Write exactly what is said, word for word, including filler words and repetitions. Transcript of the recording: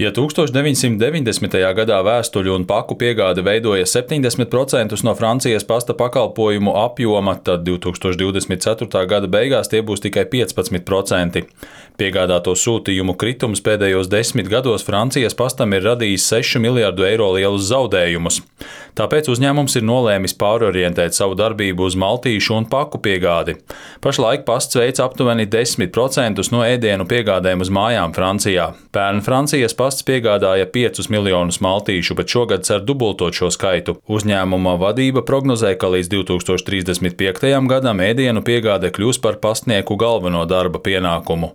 Ja tūkstoš deviņsimt deviņdesmitajā gadā vēstuļu un paku piegāde veidoja septiņdesmit procentus no Francijas pasta pakalpojumu apjoma, tad divtūkstoš divdesmit ceturtā gada beigās tie būs tikai piecpadsmit procenti. Piegādāto sūtījumu kritums pēdējos desmit gados Francijas pastam ir radījis sešu miljardu eiro lielus zaudējumus. Tāpēc uzņēmums ir nolēmis pārorientēt savu darbību uz maltīšu un paku piegādi. Pašlaik pasts veic aptuveni desmit procentus no ēdienu piegādēm uz mājām Francijā. Pērn Francijas pasts piegādāja piecus miljonus maltīšu, bet šogad cer dubultot šo skaitu. Uzņēmuma vadība prognozē, ka līdz divtūkstoš trīsdesmit piektajam gadam ēdienu piegāde kļūs par pastnieku galveno darba pienākumu.